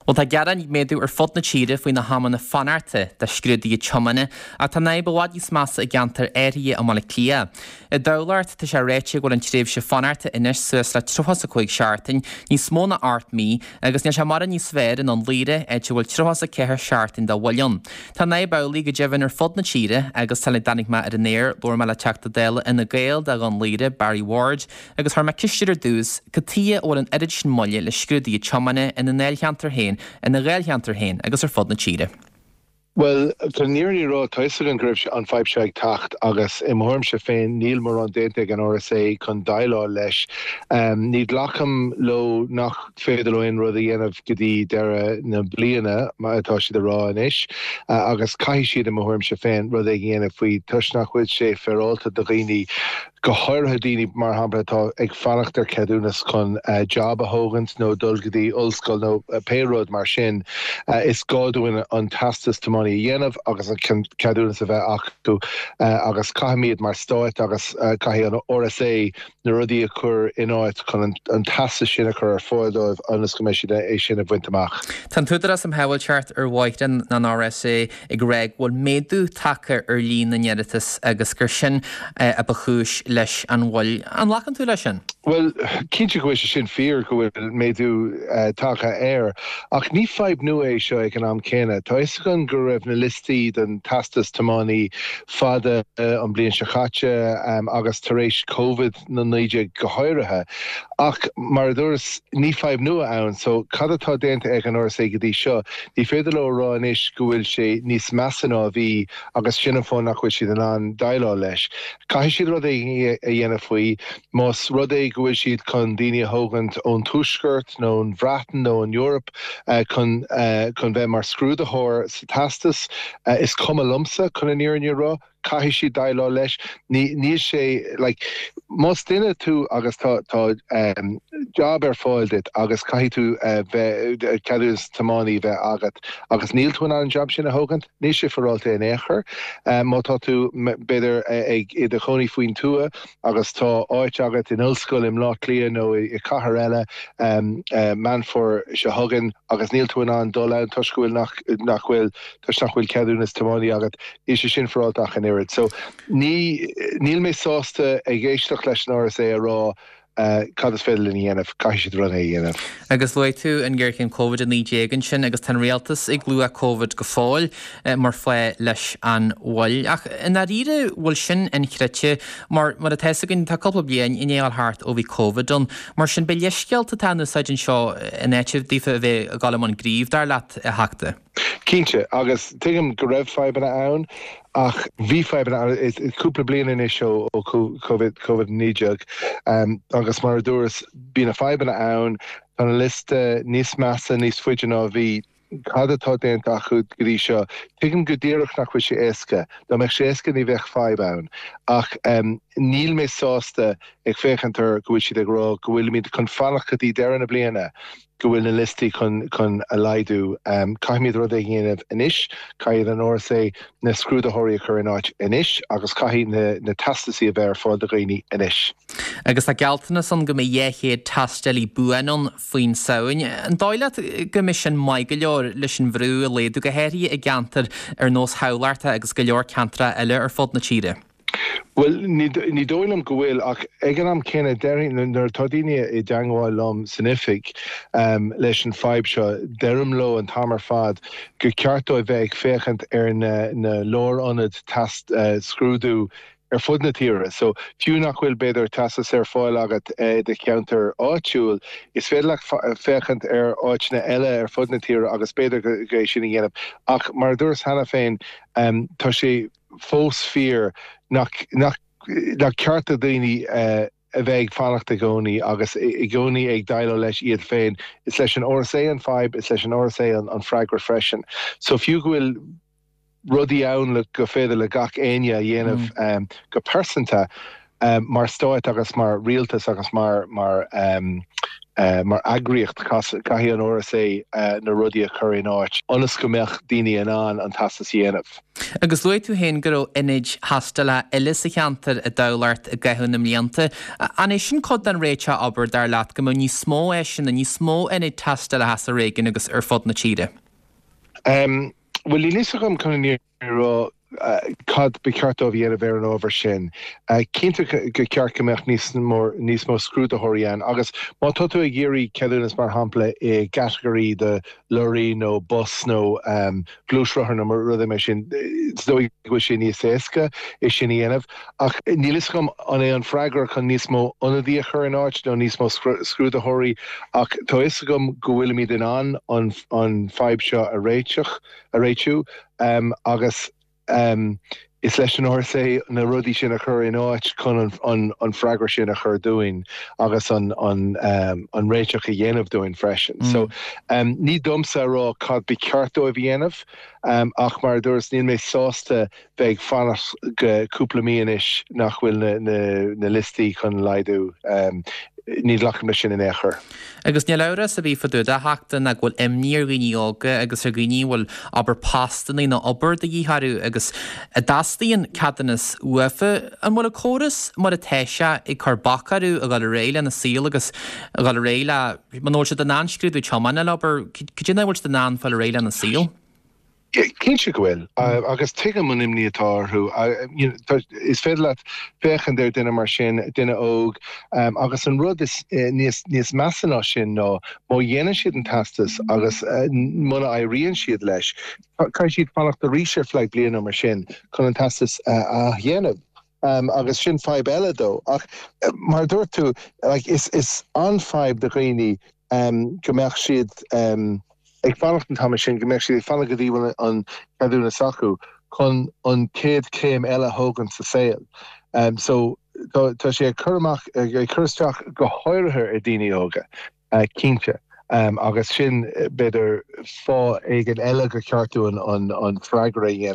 Bhuel, tá gearáin ag méadú ar fud na tíre faoi na hamanna fanachta do scrúduithe tiomána ach tá an fhadhb i bhfad níos measa i gceantair áirithe i mBaile Átha Cliath. I dTamhlacht, tá sé ráite go bhfuil an tréimhse fanachta anois suas le 35 seachtain, níos mó ná 8 mí, agus níl sé mórán níos fearr i nDún Laoghaire, áit a bhfuil 34 seachtain de mhoill ann. Tá an fhadhb amhlaidh go deimhin ar fud na tíre agus sula dtáinig mé ar an aer, labhair mé le Teachta Dála Fhine Gael do Dhún Laoghaire, Barry Ward, Agus chuir mé ceist air ar dtús, cad tuighe a bhfuil an oiread sin moille le scrúduithe tiomána ina ndáilcheantar féin, ina dháilcheantar féin agus ar fud na tíre? Bhuel, chun an fhírinne a rá, tá fhios againn go raibh an fadhb seo ag teacht agus i mo thuairimse féin níl mórán déanta ag an RSA chun déileáil leis. Ní ghlacaim leo nach féidir leo aon rud a dhéanamh go dtí deireadh na bliana, mar atá siad a rá anois, agus caithfidh siad i mo thuairimse féin rud éigin a dhéanamh faoi toisc nach bhfuil sé féaráilte do dhaoine go háirithe daoine, mar shampla, atá ag fanacht ar cheadúnas chun jab a thógaint nó dul go dtí ollscoil nó pé rud mar sin, is gá dúinn an teastas tiománaí a dhéanamh agus an ceadúnas a bheith acu agus caithfimid mar stát agus caithfidh an RSA na rudaí a chur in áit chun an teastas sin a chur ar fáil dóibh ionas go mbeidh siad é sin a bhaint amach. Tá an tÚdarás um Shábháilteacht ar Bhóithre, an RSA, ag rá go bhfuil méadú tagtha ar líon na n-iarratas agus gur sin a ba chúis leis an mhoill. An nglacann tú leis sin? Bhuel, cinnte go bhfuil sé sin fíor, go bhfuil méadú tagtha air. Ach ní fadhb nua é seo ag an am céanna. Tá fhios againn go raibh na liostaí don teastas tiománaí fada an bhliain seo caite agus tar éis Covid 19 go háirithe. Ach mar a dúras, ní fadhb nua ann. So cad atá déanta ag an RSA go dtí seo? Ní féidir leo a rá anois go bhfuil sé níos measa ná a bhí agus sin an fáth nach bhfuil siad in ann déileáil leis. Caithfidh siad rud éigin a dhéanamh faoi. Más rud é go bhfuil siad chun daoine a thógaint ón Tuaisceart nó ón Bhreatain nó ón Eoraip chun chun bheith mar scrúdaitheoir sa teastas, is cuma liomsa, chun an fhírinne a rá. Caithfidh siad déileáil leis. Ní, níl sé, like, más duine tú agus tá, tá job ar fáil duit agus caithfidh tú bheith, ceadúnas tiománaí a bheith agat agus níl tú in ann an job sin a thógaint, níl sé féaráilte in aon chor. Má tá tú, b'fhéidir, ag, i do chónaí faoin tuath agus tá áit agat in ollscoil i mBleá Cliath nó i cathair eile Meán Fómhair seo chugainn agus níl tú in ann dul ann toisc go bhfuil nach, nach bhfuil, toisc nach bhfuil ceadúnas tiománaí agat, níl sé sin féaráilte ach an oiread. So, ní, níl mé sásta ag éisteacht leis an RSA a rá cad is féidir linn a dhéanamh, caithfidh siad rud a dhéanamh. Agus luaigh tú an ghéarchéim Covid-19 ansin agus tá an rialtas ag lua Covid go fóill mar fáth leis an mhoill. Ach i ndáiríre, bhfuil sin inchreidte mar, mar atá fhios againn, tá cúpla bliain i ndiaidh a dhul thart ó bhí Covid ann. Mar sin, b'é leithscéalta atá in úsáid anseo in áit daofa a bheith ag dul i mbun gnímh, dar leat, a Theachta? Cinnte, agus tuigim go raibh fadhbanna ann, ach bhí fadhbanna ann, is cúpla bliain anois ó Covid, Covid-19, agus mar a dúras, bhí na fadhbanna ann, tá na liosta níos measa, níos faide ná a bhí. Cad atá déanta acu go dtí seo? Tuigim go díreach nach bhfuil sé éasca. Dá mbeadh sé éasca ní bheadh fadhb ann. Ach níl mé sásta ag féachaint ar go bhfuil siad ag rá go bhfuilimid chun fanacht go dtí deireadh na bliana go bhfuil na liostaí chun chun a laghdú. Caithfimid rud éigin a dhéanamh anois, caithfidh an RSA na scrúdaitheoirí a chur in áit anois agus caithfidh na na teastasaí a bheith ar fáil do dhaoine anois. Agus tá gealltanas ann go mbeidh 200 tástálaí buan ann faoin Samhain. An dóigh leat go mbeidh sin maith go leor leis an bhrú a laghdú, go háirithe i gceantair ar nós Thamhlachta agus go leor ceantracha eile ar fud na tíre? Bhuel, ní dóigh liom go bhfuil, ach ag an am céanna, déarfainn, nuair atá daoine i dteangmháil liom san oifig leis an fadhb seo, deirim leo an t-am ar fad gur ceart dóibh bheith ag féachaint ar na lárionaid teast scrúdú ar fud na tíre. So, fiú nach bhfuil, b'fhéidir, teastas ar fáil agat i do cheantar áitiúil, is féidir leat féachaint ar áiteanna eile ar fud na tíre agus b'fhéidir go é sin a dhéanamh. Ach mar a dúras cheana féin, tá sé. fós fíor nach nach nach ceart do dhaoine a bheith ag fanacht i gcónaí agus i gcónaí ag déileáil leis iad féin. Is leis an RSA an fadhb, is leis an RSA an an freagra freisin. So fiú go bhfuil rudaí ann le go féidir le gach éinne a dhéanamh go pearsanta mar stát agus mar rialtas agus mar mar. Mar eagraíocht, caithfidh an RSA na rudaí a chur in áit ionas go mbeadh daoine in ann an teastas a dhéanamh. Agus luaigh tú féin go raibh ionaid thástála eile sa cheantar i dTamhlacht i gcaitheamh na mblianta. An é sin cuid den réiteach, abair, dar leat, go mbeadh níos mó áiseanna, níos mó ionaid tástála sa réigiún agus ar fud na tíre? Bhuel, níl fhios agam chun an fhírinne a rá cad ba cheart dóibh a dhéanamh ar an ábhar sin. Cinnte gur cheart go mbeadh níos níos mó scrúdaitheoirí ann agus má tá tú ag iarraidh ceadúnas mar shampla i gcatagóirí de lorraí nó bus nó gluaisrothar nó rudaí mar sin, is dóigh go bhfuil sé níos éasca é sin a dhéanamh. Ach níl fhios agam an é an freagra chun níos mó ionadaí a chur in áit nó níos mó scrúdaitheoirí ach tá fhios agam go bhfuilimid in ann an an fadhb seo a réiteach, a réitiú agus is leis an RSA na rudaí sin a chur in áit chun an freagra sin a chur dúinn agus an réiteach a dhéanamh dúinn freisin. So ní domsa a rá cad ba cheart dóibh a dhéanamh ach mar a dúras níl mé sásta bheith ag fanacht go cúpla mí anois nach bhfuil na liostaí chun laghdú. Ní ghlacaim leis sin in aon chor. Agus níl amhras ar bith fá dtaobh de a Theachta ná go bhfuil imní ar dhaoine óga agus ar dhaoine a bhfuil abair postannaí nó obair de dhíth orthu agus a dteastaíonn ceadúnas uafa. An bhfuil an córas mar atá sé ag cur bac orthu a dhul ar aghaidh lena saol agus a dhul ar aghaidh le, muna bhfuil siad in ann scrúdú tiomána a fháil abair, cad é nach bhfuil siad in ann fáil ar aghaidh lena saol? Cinnte go bhfuil, agus tuigim an imní atá orthu. Is féidir leat féachaint ar duine mar sin, duine óg, agus an rud is níos níos measa ná sin ná má dhéanann siad an teastas agus muna éiríonn siad leis, caithfidh siad fanacht arís ar feadh bliana nó mar sin chun an teastas a athdhéanamh. Agus sin fadhb eile dó. Ach mar a dúirt tú, is is an-fhadhb do dhaoine go mbeadh siad ag fanacht an t-am sin, go mbeadh siad ag fanacht go dtí bhfuil an ceadúnas acu chun an chéad chéim eile a thógaint sa saol. So tá sé ag cur amach, ag cur isteach go háirithe ar daoine óga, cinnte. Agus sin, b'fhéidir, fáth éigin eile gur cheart dúinn an freagra a dhéanamh.